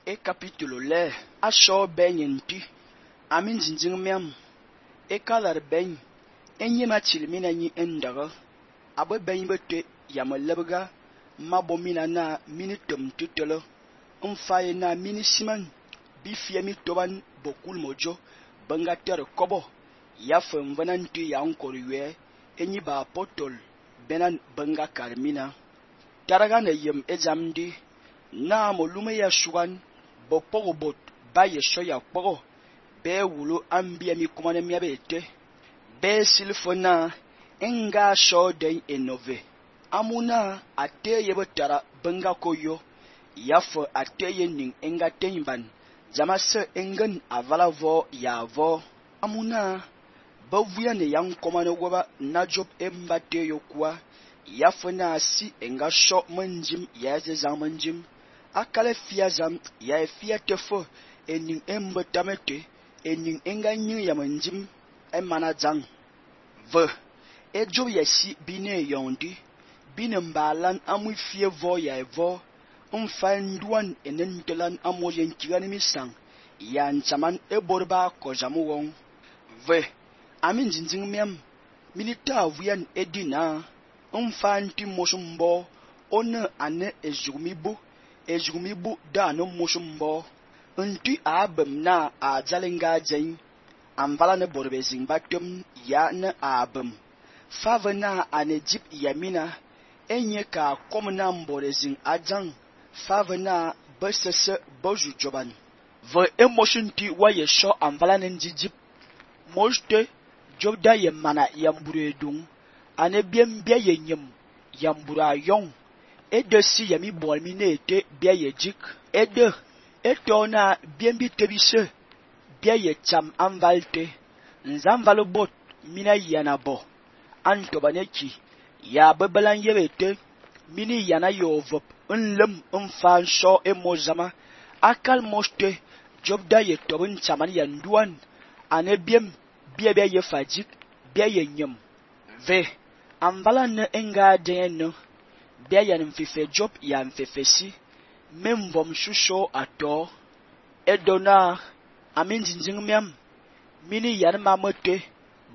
e capítulo le a sho ben yenti amin zinjing miam e kalar ben enye ma chilmina nyi endaga abe ben bete yamalabga mabomina na minitum tutelo mfaye na minisiman bifia mi toban bokul mojo banga ter kobo ya femvanan tu ya nkorwe enyi ba apostol benan banga karmina taraga na yem ezamdi na molume ya shugan bopogobot ba yesho ya kpogo be wulu ambia mi kumane mi abete be silfona enga sho den enove amuna ateye botara banga koyo yafo ateye ning enga tenban jamase engen avala vo ya vo amuna bavuya ne yang komane goba na job embate yokwa yafo na si enga sho manjim ya ze zamanjim akale fia zam ya fia tefo ening embotamete ening enga nyi ya manjim emana zang ve ejo yesi bine yondi bine mbalan amu fie vo ya evo mfanduan enentelan amoyen kigani misang ya nchaman eborba kojamu wong ve amin zinjing miam milita avuyan edina mfanti mosumbo one ane ejugumibu da no mosumbo nti abem na ajalenga jen amvala ne borbe zingbatum ya ne abem favena ane jip yamina enye ka komna mbore zing ajang favena besese boju joban ve emotion ti waye sho amvala ne njijip moste jobda yemana yamburedung ane biembia yenyem yambura yong edesi yami bolmi nete bia yejik ede etona biembi tebise bia yecham amvalte nzamvalo bot mina yanabo antobaneki ya bebelan yebete mini yana yovop nlem mfan sho emozama akal moste jobda yetobun chaman yanduan ane biem bia bia yefajik bia yenyem ve amvala ne enga deno bia yan mfife job ya mfefesi memvom shusho ato edona amin zinjing miam mini yan mamote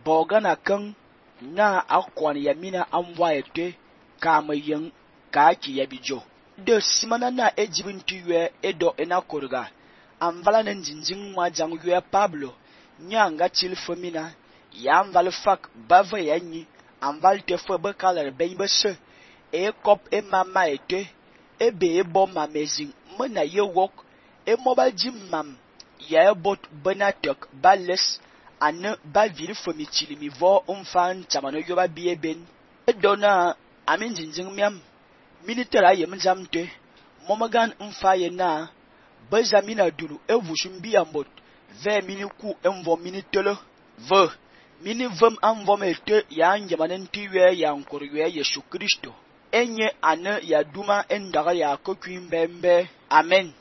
bogana kang na akwan yamina amwaete kama yang kaki yabijo de simana na ejibintiwe edo enakorga amvala ne zinjing mwajang yue Pablo nyanga tilfomina ya amval fak bava yanyi amval tefo bekalar benbese e kop e mama ete ebe ebo mamezing mena ye wok e mobile jim mam ya bot benatek bales ane ba viri fomi chilimi vo umfan chamano yoba bieben edona amin zinjing miam militara yemjamte momagan umfaye na bezamina duru evushumbi ambot ve miniku emvo minitelo ve mini vom amvom ete ya njamanen tiwe ya nkorwe Yesu Kristo enye ane ya duma endaga ya kokwin bembe amen.